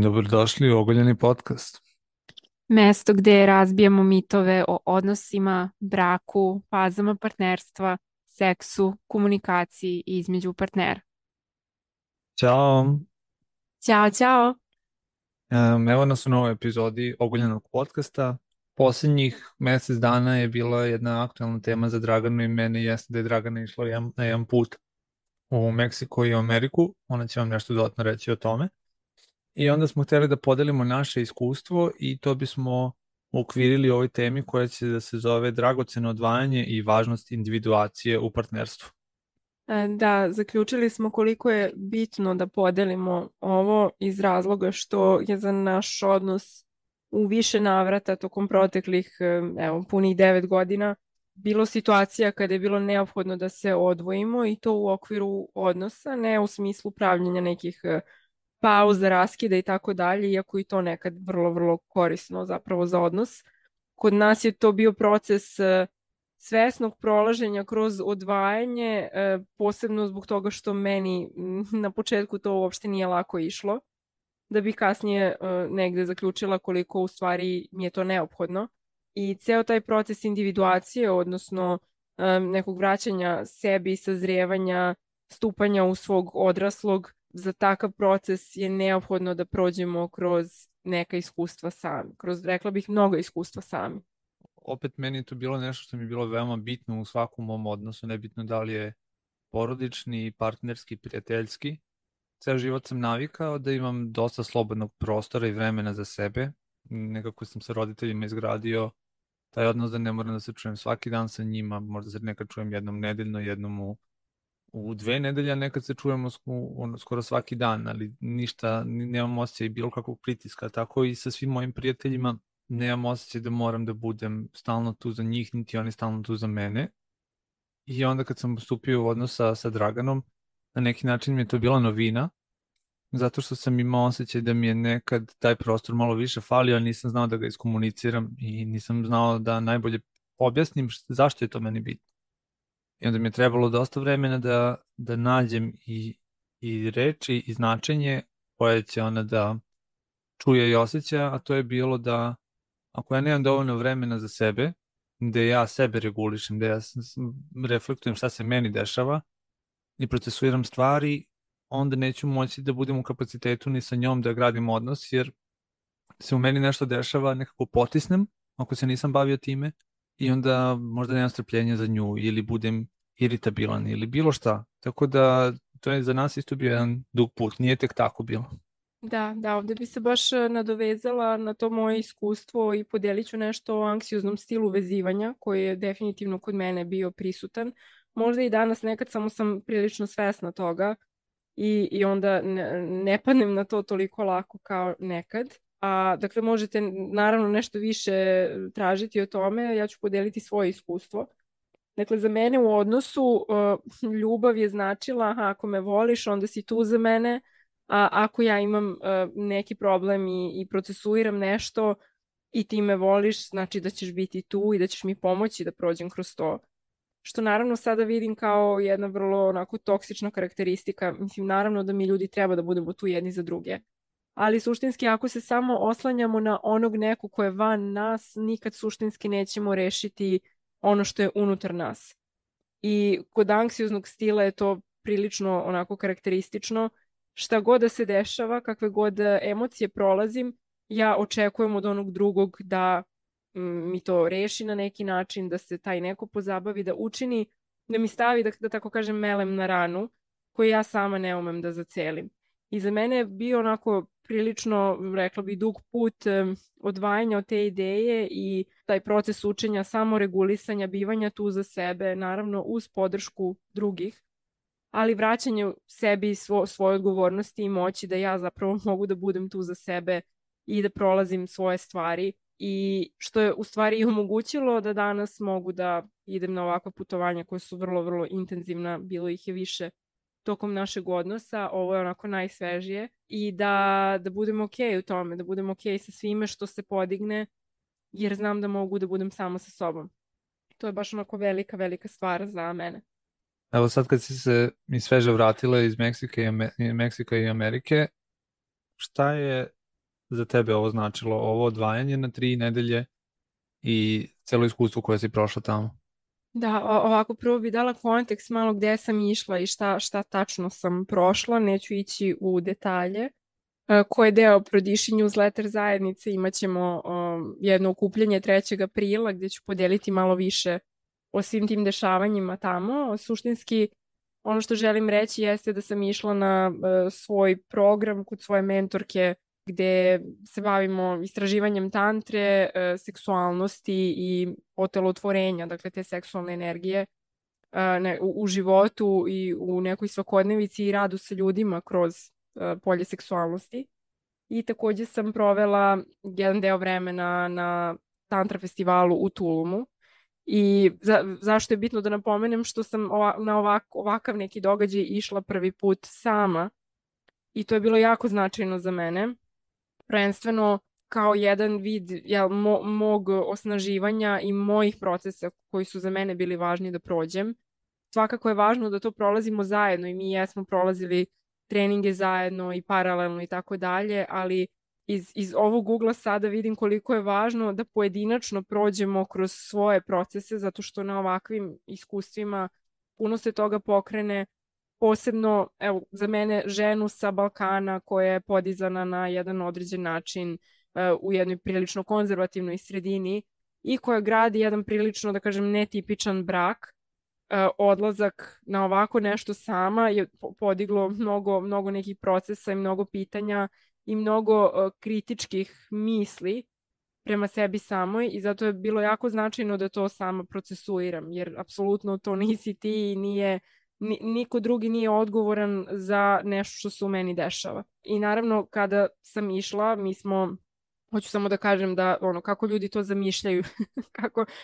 Dobrodošli u Ogoljeni podcast. Mesto gde razbijamo mitove o odnosima, braku, fazama partnerstva, seksu, komunikaciji između partnera. Ćao. Ćao, ćao! Evo nas u novoj epizodi Ogoljenog podcasta. Posljednjih mjesec dana je bila jedna aktualna tema za Draganu i mene, jeste da je Dragana išla na jedan put u Meksiko i u Ameriku. Ona će vam nešto dodatno reći o tome. I onda smo htjeli da podelimo naše iskustvo i to bismo uokvirili u ovoj temi koja će da se zove dragoceno odvajanje i važnost individuacije u partnerstvu. Da, zaključili smo koliko je bitno da podelimo ovo iz razloga što je za naš odnos u više navrata tokom proteklih, evo, punih 9 godina bilo situacija kada je bilo neophodno da se odvojimo i to u okviru odnosa, ne u smislu pravljenja nekih pauza, raskida i tako dalje, iako i to nekad vrlo, vrlo korisno zapravo za odnos. Kod nas je to bio proces svesnog prolaženja kroz odvajanje, posebno zbog toga što meni na početku to uopšte nije lako išlo, da bi kasnije negde zaključila koliko u stvari mi je to neophodno. I ceo taj proces individuacije, odnosno nekog vraćanja sebi, sazrijevanja, stupanja u svog odraslog, za takav proces je neophodno da prođemo kroz neka iskustva sami, kroz, rekla bih, mnogo iskustva sami. Opet meni je to bilo nešto što mi je bilo veoma bitno u svakom mom odnosu, nebitno da li je porodični, partnerski, prijateljski. Ceo život sam navikao da imam dosta slobodnog prostora i vremena za sebe. Nekako sam sa roditeljima izgradio taj odnos da ne moram da se čujem svaki dan sa njima, možda se nekad čujem jednom nedeljno, jednom u 2 nedelje, a nekad se čujemo skoro svaki dan, ali ništa, nemam osjećaj bilo kakvog pritiska, tako i sa svim mojim prijateljima nemam osjećaj da moram da budem stalno tu za njih, niti oni stalno tu za mene. I onda kad sam stupio u odnos sa Draganom, na neki način mi je to bila novina, zato što sam imao osjećaj da mi je nekad taj prostor malo više falio, ali nisam znao da ga iskomuniciram i nisam znao da najbolje objasnim zašto je to meni bitno. I onda mi je trebalo dosta vremena da nađem i reči i značenje koje će ona da čuje i osjeća, a to je bilo da ako ja nemam dovoljno vremena za sebe, da ja sebe regulišem, da ja reflektujem šta se meni dešava i procesuiram stvari, onda neću moći da budem u kapacitetu ni sa njom da gradim odnos, jer se u meni nešto dešava, nekako potisnem, ako se nisam bavio time, i onda možda nemam strpljenja za nju, ili budem iritabilan, ili bilo šta. Tako da, to je za nas isto bio jedan dug put, nije tek tako bilo. Da, da, ovde bi se baš nadovezala na to moje iskustvo i podelit ću nešto o anksioznom stilu vezivanja koji je definitivno kod mene bio prisutan. Možda i danas nekad samo sam prilično svesna toga i onda ne padnem na to toliko lako kao nekad. A, dakle, možete naravno nešto više tražiti o tome, ja ću podeliti svoje iskustvo. Dakle, za mene u odnosu ljubav je značila, aha, ako me voliš, onda si tu za mene, a ako ja imam neki problem i procesuiram nešto i ti me voliš, znači da ćeš biti tu i da ćeš mi pomoći da prođem kroz to. Što naravno sada vidim kao jedna vrlo onako toksična karakteristika. Mislim, naravno da mi ljudi treba da budemo tu jedni za druge. Ali suštinski, ako se samo oslanjamo na onog nekog ko je van nas, nikad suštinski nećemo rešiti ono što je unutar nas. I kod anksioznog stila je to prilično onako karakteristično. Šta god da se dešava, kakve god emocije prolazim, ja očekujem od onog drugog da mi to reši na neki način, da se taj neko pozabavi, da učini, da mi stavi, da tako kažem, melem na ranu, koju ja sama ne umem da zacelim. I za mene je bio onako prilično, rekla bi, dug put odvajanja od te ideje i taj proces učenja, samoregulisanja, bivanja tu za sebe, naravno uz podršku drugih, ali vraćanje sebi svoje odgovornosti i moći da ja zapravo mogu da budem tu za sebe i da prolazim svoje stvari i što je u stvari i omogućilo da danas mogu da idem na ovakva putovanja koja su vrlo, vrlo intenzivna, bilo ih je više tokom našeg odnosa, ovo je onako najsvežije i da budem okej u tome, da budem okej sa svime što se podigne, jer znam da mogu da budem sama sa sobom. To je baš onako velika, velika stvar za mene. Evo sad kad si se mi sveže vratila iz Meksika i Amerike, šta je za tebe ovo značilo, ovo odvajanje na 3 nedelje i celo iskustvo koje si prošla tamo? Da, ovako prvo bi dala kontekst malo gde sam išla i šta tačno sam prošla, neću ići u detalje. Ko je deo Prodiši newsletter zajednice, imaćemo jedno okupljanje 3. aprila gdje ću podeliti malo više o svim tim dešavanjima tamo. Suštinski, ono što želim reći jeste da sam išla na svoj program kod svoje mentorke gde se bavimo istraživanjem tantre, seksualnosti i otelotvorenja, dakle te seksualne energije u životu i u nekoj svakodnevici i radu sa ljudima kroz polje seksualnosti. I takođe sam provela jedan deo vremena na tantra festivalu u Tulumu. I zašto je bitno da napomenem što sam na ovakav neki događaj išla prvi put sama i to je bilo jako značajno za mene. Prvenstveno kao jedan vid mog osnaživanja i mojih procesa koji su za mene bili važni da prođem. Svakako je važno da to prolazimo zajedno i mi jesmo prolazili treninge zajedno i paralelno i tako dalje, ali iz ovog ugla sada vidim koliko je važno da pojedinačno prođemo kroz svoje procese, zato što na ovakvim iskustvima puno se toga pokrene, posebno evo, za mene ženu sa Balkana koja je podizana na jedan određen način u jednoj prilično konzervativnoj sredini i koja gradi jedan prilično, da kažem, netipičan brak. Odlazak na ovako nešto sama je podiglo mnogo nekih procesa i mnogo pitanja i mnogo kritičkih misli prema sebi samoj i zato je bilo jako značajno da to sama procesuiram, jer apsolutno to nisi ti i niko drugi nije odgovoran za nešto što se u meni dešava. I naravno kada sam išla, hoću samo da kažem da kako ljudi to zamišljaju,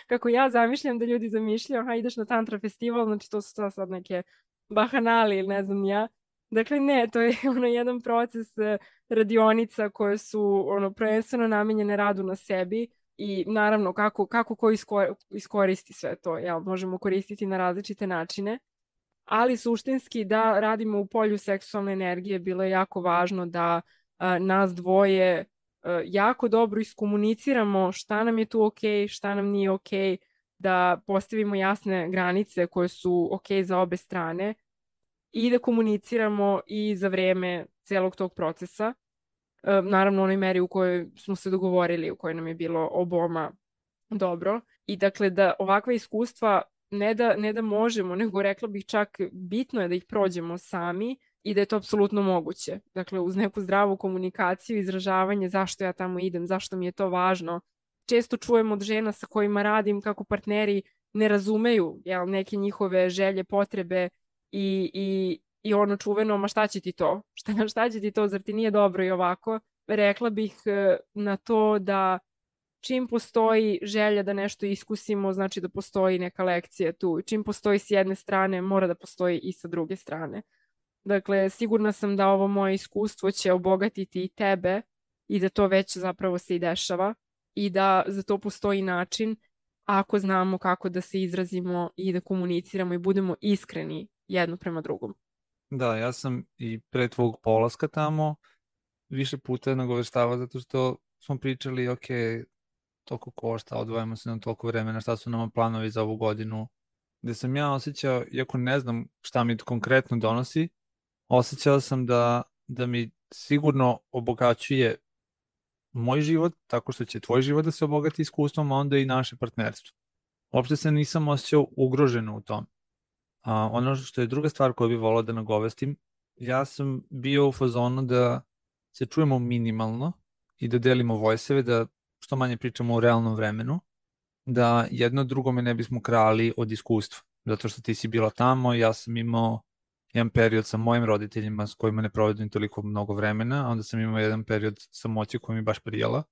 kako ja zamišljam da ljudi zamišljaju, ideš na tantra festival, znači to su sad neke bahanali ili ne znam ja. Dakle ne, to je jedan proces radionica koje su prvenstveno namenjene radu na sebi i naravno kako ko iskoristi sve to, možemo koristiti na različite načine, ali suštinski da radimo u polju seksualne energije bilo je jako važno da nas dvoje jako dobro iskomuniciramo šta nam je tu okej, šta nam nije okej, da postavimo jasne granice koje su okej za obe strane i da komuniciramo i za vreme celog tog procesa. Naravno u onoj meri u kojoj smo se dogovorili, u kojoj nam je bilo oboma dobro. I dakle da ovakva iskustva ne da možemo, nego rekla bih čak bitno je da ih prođemo sami i da je to apsolutno moguće. Dakle, uz neku zdravu komunikaciju, izražavanje zašto ja tamo idem, zašto mi je to važno. Često čujem od žena sa kojima radim kako partneri ne razumeju neke njihove želje, potrebe i ono čuveno, ma šta će ti to? Šta će ti to, zar ti nije dobro i ovako? Rekla bih na to da čim postoji želja da nešto iskusimo, znači da postoji neka lekcija tu. Čim postoji s jedne strane, mora da postoji i sa druge strane. Dakle, sigurna sam da ovo moje iskustvo će obogatiti i tebe i da to već zapravo se i dešava i da za to postoji način ako znamo kako da se izrazimo i da komuniciramo i budemo iskreni jedno prema drugom. Da, ja sam i pre tvog polaska tamo više puta nagoveštavao zato što smo pričali, ok, toliko košta, odvojamo se na toliko vremena, šta su nama planovi za ovu godinu, gde sam ja osjećao, iako ne znam šta mi konkretno donosi, osjećao sam da mi sigurno obogaćuje moj život, tako što će tvoj život da se obogati iskustvom, a onda i naše partnerstvo. Uopšte se nisam osjećao ugroženo u tom. Ono što je druga stvar koju bih volao da nagovestim, ja sam bio u fazonu da se čujemo minimalno i da delimo voice-eve, da što manje pričamo u realnom vremenu, da jedno drugome ne bismo krali od iskustva. Zato što ti si bila tamo, ja sam imao jedan period sa mojim roditeljima s kojima ne provedim toliko mnogo vremena, a onda sam imao jedan period samoće koja mi baš prijala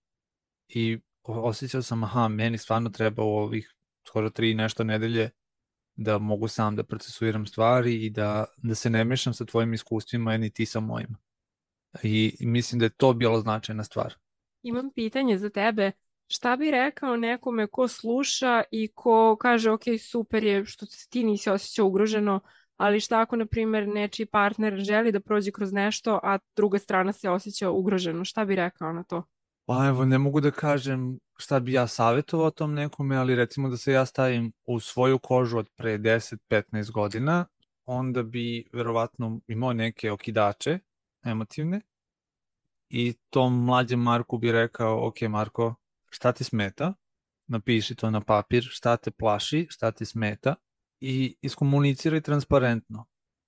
i osjećao sam, meni stvarno treba u ovih skoro 3 nešto nedelje da mogu sam da procesuiram stvari i da se ne mešam sa tvojim iskustvima, ni ti sa mojima. I mislim da je to bila značajna stvar. Imam pitanje za tebe. Šta bi rekao nekome ko sluša i ko kaže, ok, super je što ti nisi osjećao ugroženo, ali šta ako, na primjer, nečiji partner želi da prođe kroz nešto, a druga strana se osjeća ugroženo? Šta bi rekao na to? Pa evo, ne mogu da kažem šta bi ja savjetovao tom nekome, ali recimo da se ja stavim u svoju kožu od pre 10-15 godina, onda bi verovatno imao neke okidače emotivne i tom mlađem Marku bi rekao, ok Marko, šta ti smeta? Napiši to na papir, šta te plaši, šta ti smeta i iskomuniciraj transparentno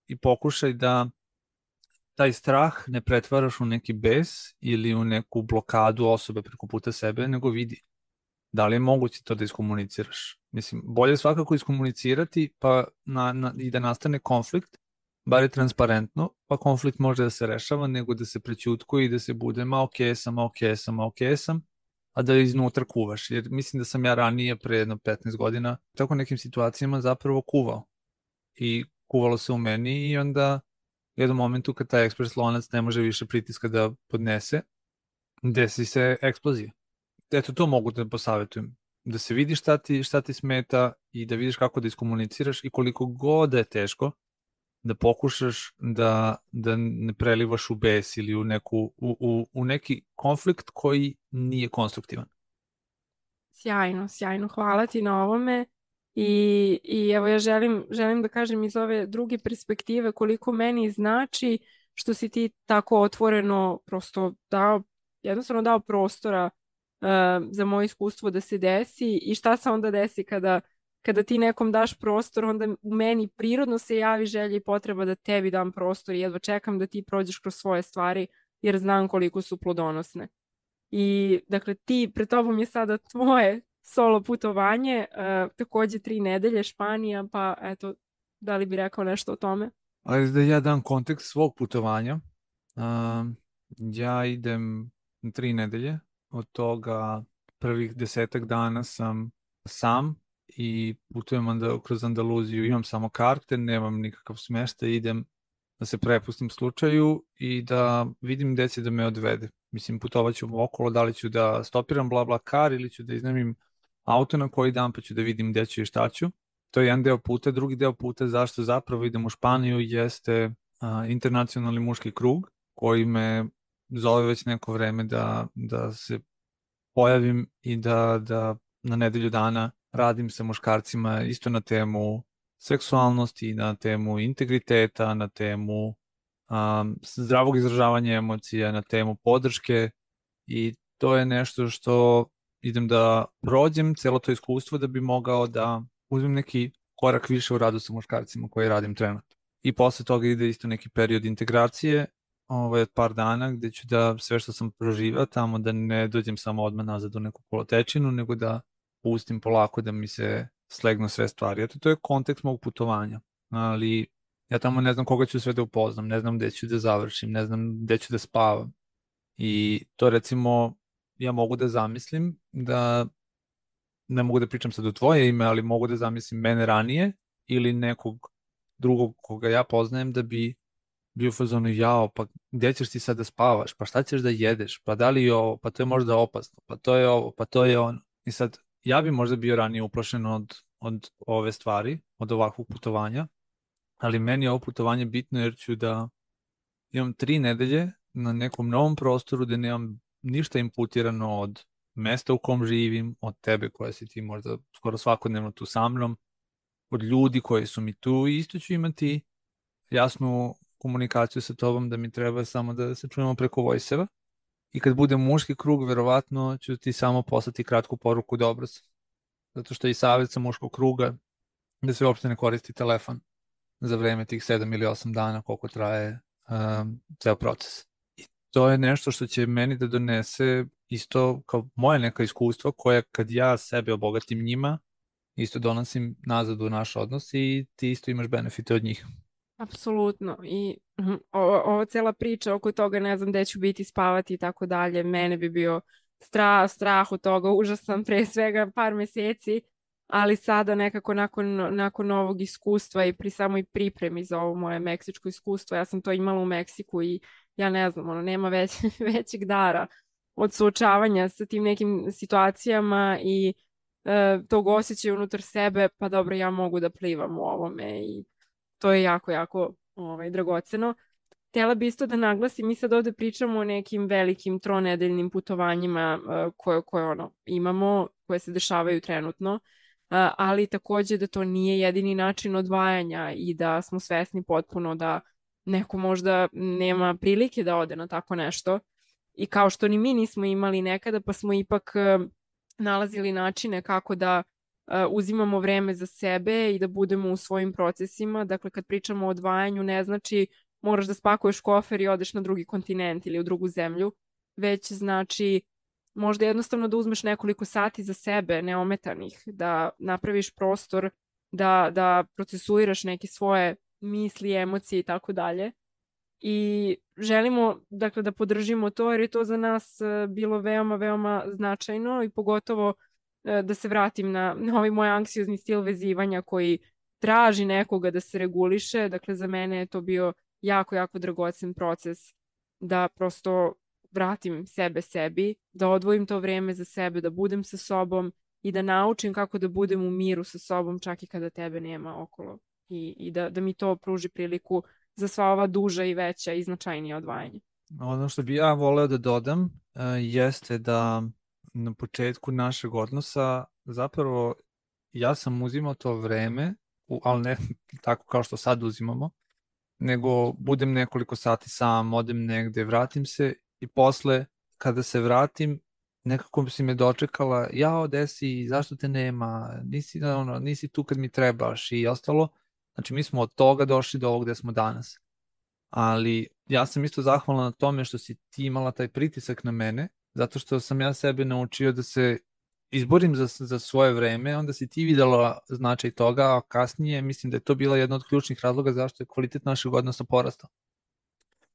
i pokušaj da taj strah ne pretvaraš u neki bes ili u neku blokadu osobe preko puta sebe, nego vidi da li je moguće to da iskomuniciraš. Mislim, bolje je svakako iskomunicirati pa i da nastane konflikt, bar je transparentno, pa konflikt može da se rešava, nego da se prećutkuje i da se bude ma ok sam, ma ok sam, ma ok sam, a da iznutra kuvaš. Jer mislim da sam ja ranije, pre jedno 15 godina, tako nekim situacijama zapravo kuvao. I kuvalo se u meni i onda u jednom momentu kad taj ekspres lonac ne može više pritiska da podnese, desi se eksplozija. Eto, to mogu da posavjetujem. Da se vidi šta ti smeta i da vidiš kako da iskomuniciraš i koliko god da je teško, da pokušaš da ne prelivaš u bes ili u neki konflikt koji nije konstruktivan. Sjajno, sjajno. Hvala ti na ovome. I evo ja želim da kažem iz ove druge perspektive koliko meni znači što si ti tako otvoreno prosto jednostavno dao prostora za moje iskustvo da se desi i šta se onda desi kada ti nekom daš prostor, onda u meni prirodno se javi želja i potreba da tebi dam prostor i jedva čekam da ti prođeš kroz svoje stvari jer znam koliko su plodonosne. I dakle ti, pred tobom je sada tvoje solo putovanje, takođe 3 nedelje Španija, pa eto, da li bi rekao nešto o tome? Ali da ja dam kontekst svog putovanja. Ja idem 3 nedelje, od toga prvih 10 dana sam i putujem kroz Andaluziju, imam samo karte, nemam nikakav smeštaj, idem da se prepustim slučaju i da vidim gde će da me odvede. Mislim, putovat ću okolo, da li ću da stopiram BlaBlaCar ili ću da iznajmim auto na koji dan pa ću da vidim gde ću i šta ću. To je jedan deo puta. Drugi deo puta zašto zapravo idem u Španiju jeste internacionalni muški krug koji me zove već neko vreme da se pojavim i da na nedelju dana radim sa muškarcima isto na temu seksualnosti, na temu integriteta, na temu zdravog izražavanja emocija, na temu podrške i to je nešto što idem da prođem celo to iskustvo da bi mogao da uzmem neki korak više u radu sa muškarcima koji radim trenutno. I posle toga ide isto neki period integracije od par dana gde ću da sve što sam proživao tamo da ne dođem samo odmah nazad u neku kolotečinu, nego da pustim polako da mi se slegnu sve stvari. Eto, to je kontekst mog putovanja, ali ja tamo ne znam koga ću sve da upoznam, ne znam gde ću da završim, ne znam gde ću da spavam. I to recimo ja mogu da zamislim da ne mogu da pričam sad u tvoje ime, ali mogu da zamislim mene ranije ili nekog drugog koga ja poznajem da bi bio u fazonu jao, pa gde ćeš ti sad da spavaš, pa šta ćeš da jedeš, pa da li je ovo, pa to je možda opasno, pa to je ovo, pa to je ono. I sad ja bi možda bio ranije uplašen od ove stvari, od ovakvog putovanja, ali meni je ovo putovanje bitno jer ću da imam 3 nedelje na nekom novom prostoru gde nemam ništa imputirano od mesta u kom živim, od tebe koja si ti možda skoro svakodnevno tu sa mnom, od ljudi koji su mi tu i isto ću imati jasnu komunikaciju sa tobom da mi treba samo da se čujemo preko Voice-eva i kad bude muški krug verovatno ću ti samo poslati kratku poruku dobro sam. Zato što je i savjet sa muškog kruga da se uopšte ne koristi telefon za vreme tih 7 ili 8 dana koliko traje ceo proces. I to je nešto što će meni da donese isto kao moje neka iskustva koje kad ja sebe obogatim njima isto donosim nazad u naš odnos i ti isto imaš benefite od njih. Apsolutno. I ova cela priča oko toga ne znam gde ću biti spavati i tako dalje, mene bi bio strah od toga, užasan pre svega par meseci, ali sada nekako nakon ovog iskustva i pri samoj pripremi za ovo moje meksičko iskustvo, ja sam to imala u Meksiku i ja ne znam, nema većeg dara od suočavanja sa tim nekim situacijama i tog osjećaja unutar sebe, pa dobro, ja mogu da plivam u ovome i to je jako, jako dragoceno. Htjela bi isto da naglasim, mi sad ovde pričamo o nekim velikim tronedeljnim putovanjima koje imamo, koje se dešavaju trenutno, ali takođe da to nije jedini način odvajanja i da smo svesni potpuno da neko možda nema prilike da ode na tako nešto. I kao što ni mi nismo imali nekada, pa smo ipak nalazili načine kako da uzimamo vreme za sebe i da budemo u svojim procesima. Dakle, kad pričamo o odvajanju, ne znači moraš da spakuješ kofer i odeš na drugi kontinent ili u drugu zemlju, već znači možda jednostavno da uzmeš nekoliko sati za sebe, neometanih, da napraviš prostor, da procesuiraš neke svoje misli, emocije i tako dalje. I želimo, dakle, da podržimo to, jer je to za nas bilo veoma, veoma značajno i pogotovo da se vratim na ovaj moj anksiozni stil vezivanja koji traži nekoga da se reguliše. Dakle, za mene je to bio jako, jako dragocen proces da prosto vratim sebe sebi, da odvojim to vreme za sebe, da budem sa sobom i da naučim kako da budem u miru sa sobom čak i kada tebe nema okolo. I da mi to pruži priliku za sva ova duža i veća i značajnija odvajanja. Ono što bi ja voleo da dodam jeste da na početku našeg odnosa zapravo ja sam uzimao to vreme, ali ne tako kao što sad uzimamo, nego budem nekoliko sati sam, odem negde, vratim se i posle kada se vratim nekako si me dočekala, jao, desi, zašto te nema, nisi tu kad mi trebaš i ostalo. Znači mi smo od toga došli do ovog gde smo danas. Ali ja sam isto zahvalan na tome što si ti imala taj pritisak na mene, zato što sam ja sebe naučio da se izborim za svoje vreme, onda si ti videla značaj toga, a kasnije mislim da je to bila jedna od ključnih razloga zašto je kvalitet našeg odnosa porastao.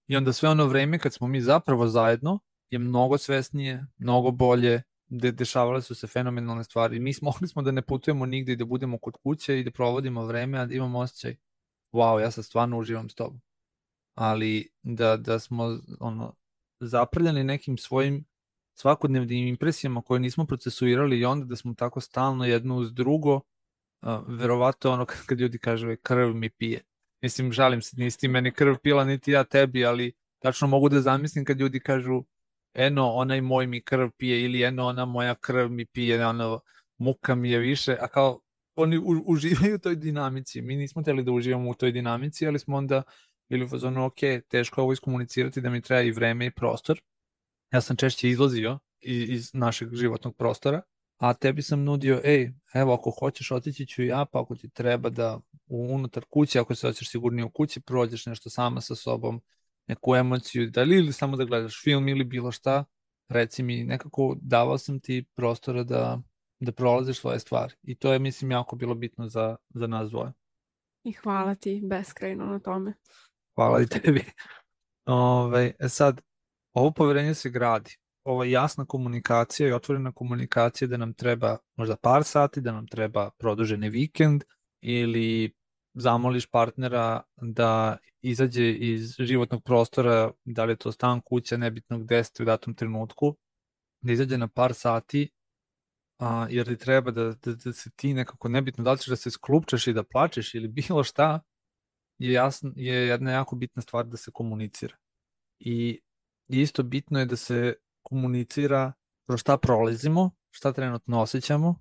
I onda sve ono vreme kad smo mi zapravo zajedno je mnogo svesnije, mnogo bolje, dešavale su se fenomenalne stvari. Mi mogli smo da ne putujemo nigde i da budemo kod kuće i da provodimo vreme, a da imamo osjećaj, wow, ja sad stvarno uživam s tobom. Ali da smo zaprljani nekim svojim svakodnevnim impresijama koje nismo procesuirali i onda da smo tako stalno jedno uz drugo, verovatno kad ljudi kažu krv mi pije. Mislim, žalim se, nisi ti meni krv pila, niti ja tebi, ali tačno mogu da zamislim kad ljudi kažu eno, onaj moj mi krv pije ili eno, ona moja krv mi pije, muka mi je više, a kao oni uživaju u toj dinamici. Mi nismo hteli da uživamo u toj dinamici, ali smo onda bili u fazonu, ok, teško ovo iskomunicirati da mi treba i vreme i prostor. Ja sam češće izlazio iz našeg životnog prostora, a tebi sam nudio, evo, ako hoćeš otići ću ja, pa ako ti treba da unutar kuće, ako se hoćeš sigurnije u kući, prođeš nešto sama sa sobom, neku emociju, ili samo da gledaš film ili bilo šta, reci mi, nekako davao sam ti prostora da prolaziš svoje stvari. I to je, mislim, jako bilo bitno za nas dvoje. I hvala ti beskrajno na tome. Hvala i tebi. Sad, ovo poverenje se gradi. Ova jasna komunikacija i otvorena komunikacija da nam treba možda par sati, da nam treba produženi vikend ili zamoliš partnera da izađe iz životnog prostora, da li je to stan, kuća, nebitno gde ste u datom trenutku, da izađe na par sati, jer ti treba da se ti nekako, nebitno da li ćeš da se sklupčeš i da plačeš ili bilo šta, je jedna jako bitna stvar da se komunicira. I isto bitno je da se komunicira kroz šta prolazimo, šta trenutno osjećamo,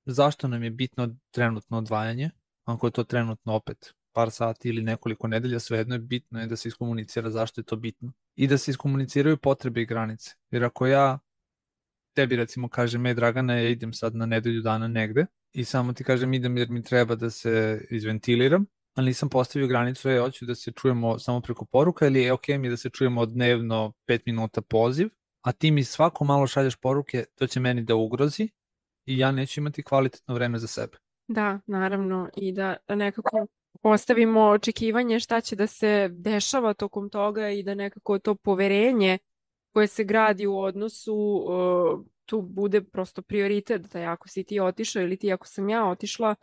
zašto nam je bitno trenutno odvajanje, ako je to trenutno opet par sati ili nekoliko nedelja, svejedno je bitno je da se iskomunicira zašto je to bitno. I da se iskomuniciraju potrebe i granice. Jer ako ja tebi recimo kažem, Dragana, ja idem sad na nedelju dana negde i samo ti kažem idem jer mi treba da se izventiliram, ali nisam postavio granicu, hoću da se čujemo samo preko poruka ili je ok mi da se čujemo dnevno 5 minuta poziv, a ti mi svako malo šalješ poruke, to će meni da ugrozi i ja neću imati kvalitetno vreme za sebe. Da, naravno, i da nekako postavimo očekivanje šta će da se dešava tokom toga i da nekako to poverenje koje se gradi u odnosu tu bude prosto prioritet, da ako si ti otišao ili ti ako sam ja otišla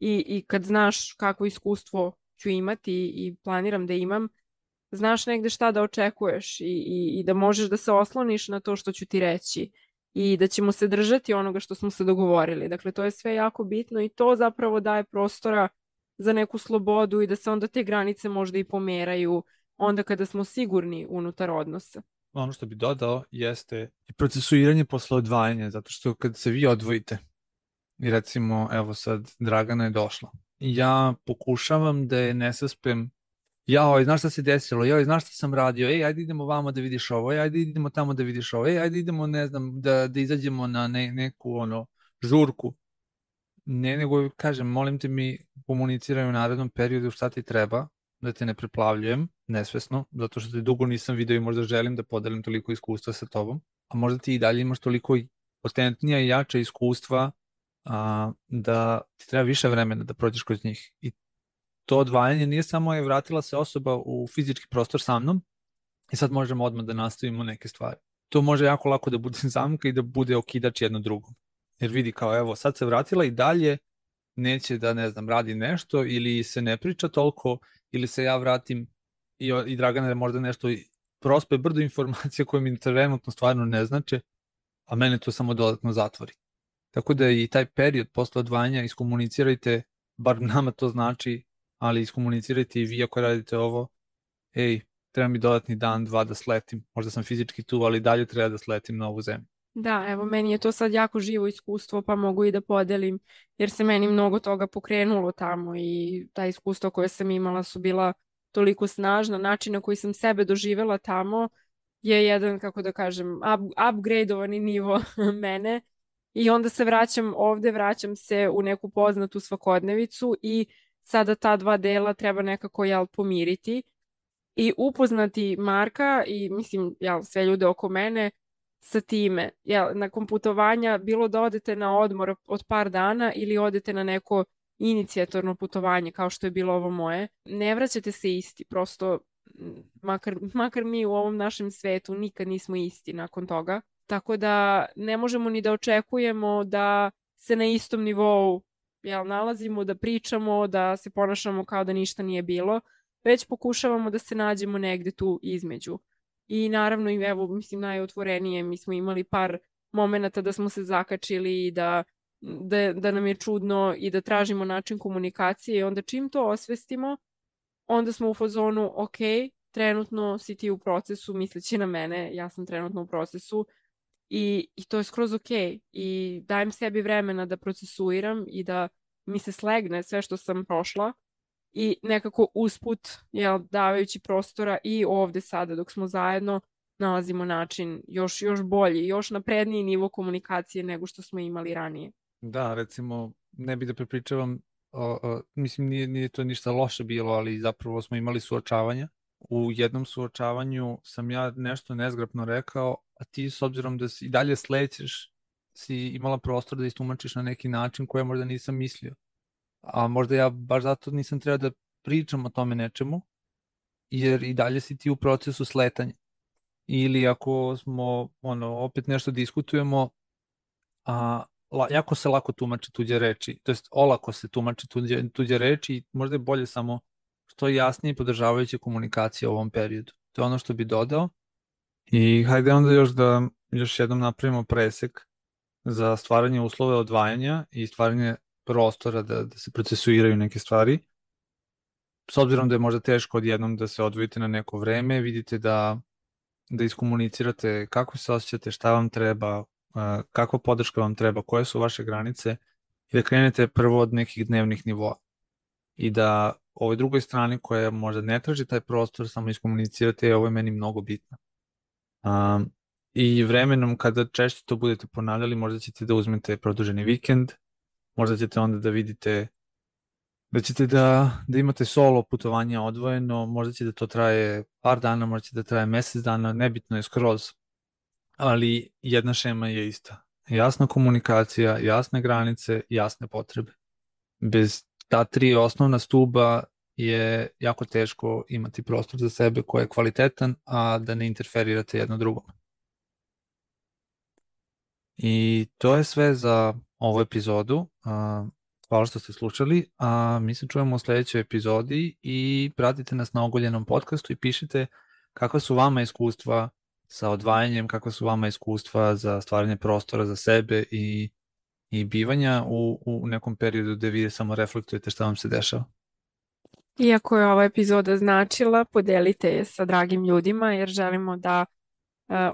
i kad znaš kakvo iskustvo ću imati i planiram da imam, znaš negde šta da očekuješ i da možeš da se osloniš na to što ću ti reći i da ćemo se držati onoga što smo se dogovorili. Dakle, to je sve jako bitno i to zapravo daje prostora za neku slobodu i da se onda te granice možda i pomeraju onda kada smo sigurni unutar odnosa. Ono što bi dodao jeste i procesuiranje posle odvajanja, zato što kad se vi odvojite, i recimo, evo sad, Dragana je došla, ja pokušavam da je ne saspem, jao, znaš šta se desilo, jao, znaš šta sam radio, ajde idemo vamo da vidiš ovo, ajde idemo tamo da vidiš ovo, ajde idemo, ne znam, da izađemo na neku, žurku. Ne, nego kažem, molim te mi komuniciraj u narednom periodu šta ti treba, da te ne preplavljujem, nesvesno, zato što te dugo nisam video i možda želim da podelim toliko iskustva sa tobom, a možda ti i dalje imaš toliko potentnija i jača iskustva da ti treba više vremena da prođeš kroz njih. I to odvajanje nije samo je vratila se osoba u fizički prostor sa mnom i sad možemo odmah da nastavimo neke stvari. To može jako lako da bude zamka i da bude okidač jedno drugom. Jer vidi kao, evo, sad se vratila i dalje neće da, ne znam, radi nešto ili se ne priča toliko ili se ja vratim i Dragana možda nešto prospe brdo informacija koje mi trenutno stvarno ne znače, a mene to samo dodatno zatvori. Tako da i taj period posle odvajanja iskomunicirajte, bar nama to znači, ali iskomunicirajte i vi ako radite ovo, ej, treba mi dodatni dan, 2 da sletim, možda sam fizički tu, ali dalje treba da sletim na ovu zemlju. Da, evo, meni je to sad jako živo iskustvo, pa mogu i da podelim, jer se meni mnogo toga pokrenulo tamo i ta iskustva koje sam imala su bila toliko snažna. Način na koji sam sebe doživela tamo je jedan, kako da kažem, upgradeovani nivo mene. I onda se vraćam ovde, vraćam se u neku poznatu svakodnevicu i sada ta dva dela treba nekako pomiriti i upoznati Marka i mislim sve ljude oko mene sa time. Nakon putovanja, bilo da odete na odmor od par dana ili odete na neko inicijatorno putovanje kao što je bilo ovo moje, ne vraćate se isti, prosto makar mi u ovom našem svetu nikad nismo isti nakon toga. Tako da ne možemo ni da očekujemo da se na istom nivou nalazimo, da pričamo, da se ponašamo kao da ništa nije bilo, već pokušavamo da se nađemo negde tu između. I naravno, evo, mislim, najotvorenije, mi smo imali par momenata da smo se zakačili i da nam je čudno i da tražimo način komunikacije i onda čim to osvestimo, onda smo u fazonu, ok, trenutno si ti u procesu, misleći na mene, ja sam trenutno u procesu i to je skroz ok i dajem sebi vremena da procesuiram i da mi se slegne sve što sam prošla i nekako usput, davajući prostora i ovde sada dok smo zajedno, nalazimo način još bolji, još napredniji nivo komunikacije nego što smo imali ranije. Da, recimo, ne bih da prepričavam, mislim nije to ništa loše bilo, ali zapravo smo imali suočavanja. U jednom suočavanju sam ja nešto nezgrapno rekao, a ti s obzirom da si i dalje slećeš, si imala prostor da istumačiš na neki način koje možda nisam mislio. A možda ja baš zato nisam trebao da pričam o tome nečemu, jer i dalje si ti u procesu sletanja. Ili ako smo, opet nešto diskutujemo, jako se lako tumači tuđe reči, to jest olako se tumači tuđe reči i možda je bolje samo što jasnije i podržavajuće komunikacije u ovom periodu. To je ono što bi dodao. I hajde onda još jednom napravimo presek za stvaranje uslova odvajanja i stvaranje prostora da se procesuiraju neke stvari. S obzirom da je možda teško odjednom da se odvojite na neko vreme, vidite da iskomunicirate kako se osjećate, šta vam treba, kakva podrška vam treba, koje su vaše granice i da krenete prvo od nekih dnevnih nivoa. I da ovoj drugoj strani koja možda ne traži taj prostor, samo iskomunicirate, ovo je meni mnogo bitno. I vremenom kada češće to budete ponavljali, možda ćete da uzmete produženi vikend, možda ćete onda da vidite da ćete da imate solo putovanje odvojeno, možda će da to traje par dana, možda će da traje mesec dana, nebitno je skroz, ali jedna šema je ista. Jasna komunikacija, jasne granice, jasne potrebe. Bez ta 3 osnovna stuba je jako teško imati prostor za sebe koji je kvalitetan, a da ne interferirate jedno drugom. I to je sve za ovu epizodu. Hvala što ste slušali, a mi se čujemo u sledećoj epizodi i pratite nas na Ogoljenom podcastu i pišite kakva su vama iskustva sa odvajanjem, kakva su vama iskustva za stvaranje prostora za sebe i bivanja u nekom periodu gde vi samo reflektujete šta vam se dešava. Iako je ova epizoda značila, podelite je sa dragim ljudima jer želimo da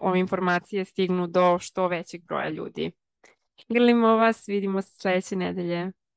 ove informacije stignu do što većeg broja ljudi. Grlimo vas, vidimo se sledeće nedelje.